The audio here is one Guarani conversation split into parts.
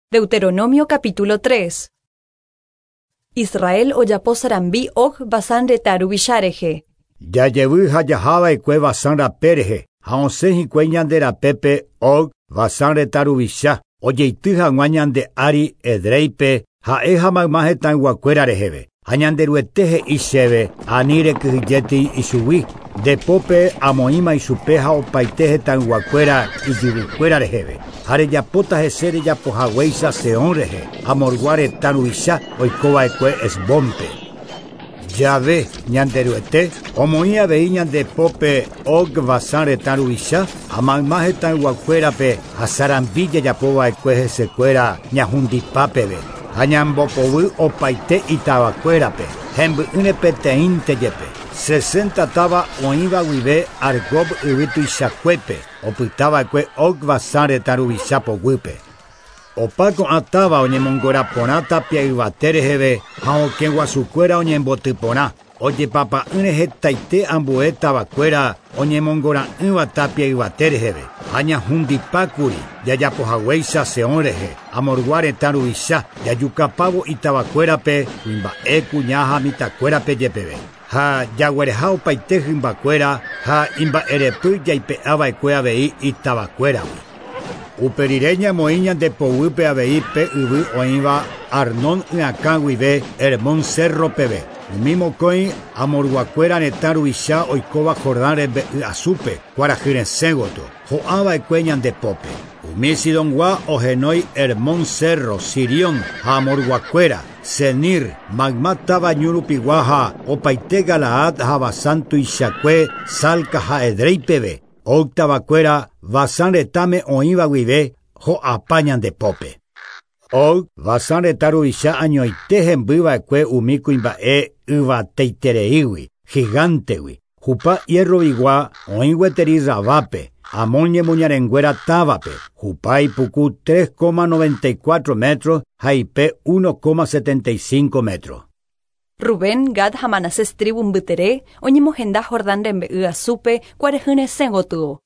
Deuteronomio capítulo 3. Israel ojapo sarambi Og Basán retã ruvicha rehe. Jajevy ha jahava'ekue Basán rape rehe, ha osẽ hikuái ñande rapépe Og, Basán retã ruvicha, ojeity hag̃ua ñande ári Edréipe, ha'e ha mayma hetãyguakuéra reheve. Ha Ñanderuete he'i chéve, Ani rekyhyjétei ichugui, nde pópe amoĩma ichupe ha opaite hetãyguakuéra ijyvykuéra reheve, ha rejapóta hese rejapohaguéicha Sehón rehe, Amorgua retã ruvicha oikova'ekue Hesbónpe. Jave, Ñanderuete, omoĩ avei ñande pópe Og Basán retã ruvicha ha mayma hetãyguakuérape ha sarambi jajapova'ekue hesekuéra ñahundipa peve. Ha ñambopovy opaite itavakuérape, hemby'ỹre peteĩnte jepe. Sesenta táva oĩva guive Argob yvy tuichakuépe, opytava'ekue Og Basán retã ruvicha poguýpe. Opa ko'ã táva oñemongora porã tapia yvate reheve ha okẽ guasukuéra oñemboty porã, ojepapa'ỹre hetaite ambue tavakuéra oñemongora'ỹva tapia yvate reheve, ha ñahundipákuri jajapohaguéicha Sehón rehe, Amorgua retã ruvicha, jajukapávo itavakuérape, kuimba'e, kuña ha mitãkuérape jepeve. Ha jaguereha opaite hymbakuéra ha imba'erepy jaipe'ava'ekue avei itavakuéragui. Upe rire ñamoĩ ñande poguýpe avei pe yvy oĩva Arnón yakã guive Hermón cérro peve, umi mokõi Amorguakuéra retã ruvicha oikóva Jordán rembe'y asúpe, kuarahy resẽ gotyo, ho'a va'ekue ñande pópe. Umi Sidongua ohenói Hermón cérro, Sirión ha Amorguakuéra, Senir, mayma táva ñu rupigua ha opaite Galaad ha Basán tuichakue, Salca ha Edrei peve, Og tavakuéra Basán retãme oĩva guive ho'apa ñande pópe. Og, Basán retã ruvicha añoite hemby va'ekue umi kuimba'e yvateitereígui, gigántegui. Hupa hierro-vigua oĩ gueteri Rabápe, Amón ñemoñarenguéra távape. Hupa ipuku 3,94 metros ha ipe 1,75 metros. Rubén, Gad ha Manasés trívu mbytere oñemohenda Jordán rembe'y asúpe kuarahy resẽ gotyo.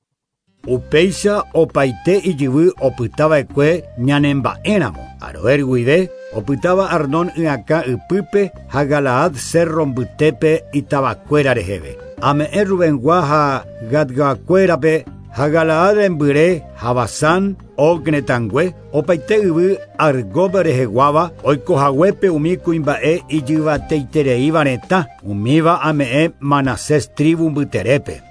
Upéicha opaite ijyvy opytava'ekue ñanemba'éramo, Aroer guive, opytáva Arnón yakã ypýpe ha Galaad cérro mbytépe itavakuéra reheve. Ame'ẽ Rubengua ha Gadguakuérape ha Galaad rembyre ha Basán, Og retãngue, opaite yvy Argob reheguáva oikohaguépe umi kuimba'e ijyvateitereíva retã, umíva ame'ẽ Manasés trívu mbyterépe.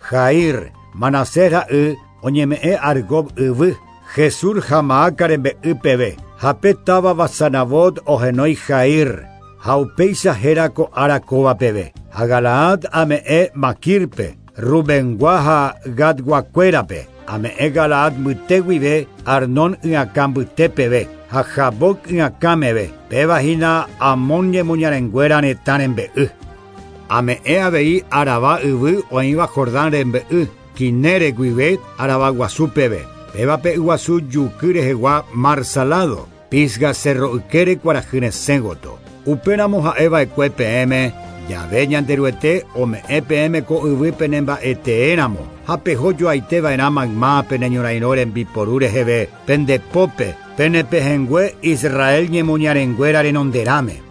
Jair, Manasés ra'y, oñeme'ẽ Argob yvy, Gesur ha Maaca rembe'y peve, ha pe táva Basanavot ohenói Jair, ha upéicha héra ko ára kóva peve. Ha Galaad ame'ẽ Makírpe, Rubengua ha Gadguakuérape, ame'ẽ Galaad mbyte guive Arnón yakã mbyte peve, ha Jaboc yakã meve, péva hína Amón ñemoñarenguéra retã rembe'y. Ame'ẽ avei Arabá yvy oĩva Jordán rembe'y, Kineret guive Arabá guasu peve, péva pe yguasu juky rehegua Mar Salado, Pisga cérro ykére kuarahy resẽ gotyo. Upéramo ha'e va'ekue peẽme, Jave Ñanderuete ome'ẽ peẽme ko yvy penemba'eteéramo, ha peho joaite va'erã mayma pene ñorairõ rembiporu reheve pende pópe, pene pehẽngue Israel ñemoñarenguéra renonderãme.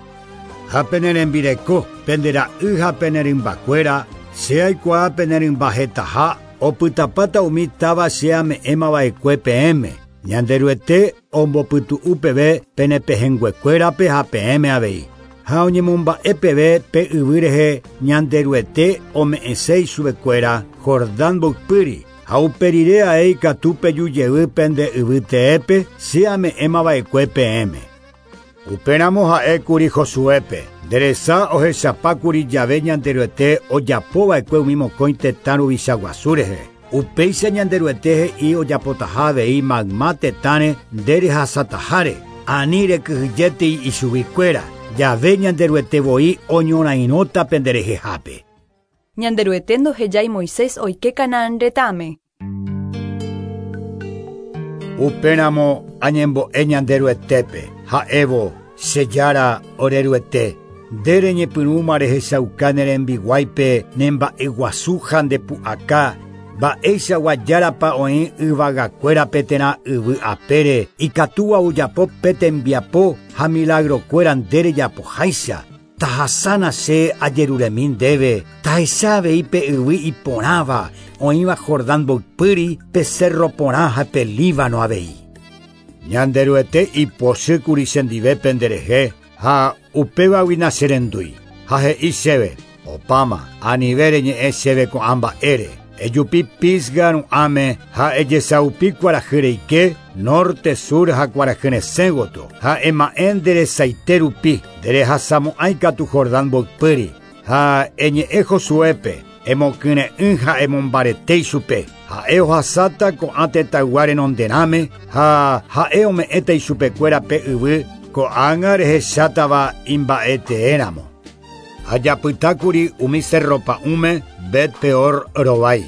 Ha pene rembireko, pende ra'y ha pene rymbakuéra, che aikuaa pene rymba hetaha, opytapáta umi táva che ame'ẽma va'ekue peẽme, Ñanderuete ombopytu'u peve pene pehẽnguekuérape ha peẽme avei. Ha oñemomba'e peve pe yvy rehe Ñanderuete ome'ẽse ichupekuéra Jordán mboypýri, ha upe rire ae ikatu peju jey pende yvy teépe che ame'ẽma va'ekue peẽme. Upéramo ha'ékuri Josuépe, Nde resa ohechapákuri jave Ñanderuete ojapova'ekue umi mokõi tetã ruvicha guasu rehe. Upéicha Ñanderuete he'i ojapotaha avei mayma tetãre nde rehasataháre, ani rekyhyjétei ichuguikuéra, jave Ñanderuete voi oñorairõta penderehehápe. Ñanderuete ndohejái Moisés oike Canaán retãme. Upéramo añembo'e Ñanderuetépe, ha'évo, Che Jára, ore Ruete, nde reñepyrũma rehechauka ne rembiguáipe ne mba'eguasu ha nde pu'aka. Mba'eichagua járapa oĩ yvagakuérape térã yvy apére ikatúva ojapo pe tembiapo ha milagrokuéra nde rejapoháicha. Tahasána che ajeruremi ndéve, tahecha avei pe yvy iporãva oĩva Jordán mboypýri pe cerro porã ha pe Líbano avei. Ñanderuete ipochýkuri chendive penderehe ha upévagui nacherendúi. Ha he'i chéve, opáma, anive reñe'ẽ chéve ko'ã mba'ére. Ejupi Pisga ru'ãme ha ejesaupi kuarahy reike, norte, sur ha kuarahy resẽ gotyo. Ha ema'ẽ nderesaite rupi, nderehasamo'ãi katu Jordán mboypýri. Ha eñe'ẽ Josuépe, emokyre'ỹ ha emombarete ichupe. Ha'e ohasáta ko'ã tetãygua renonderãme ha ha'e ome'ẽta ichupekuéra pe yvy ko'ág̃a rehechátava imba'eteéramo. Ajapytákuri umi cerro pa'ũme Bet-Peor rovái.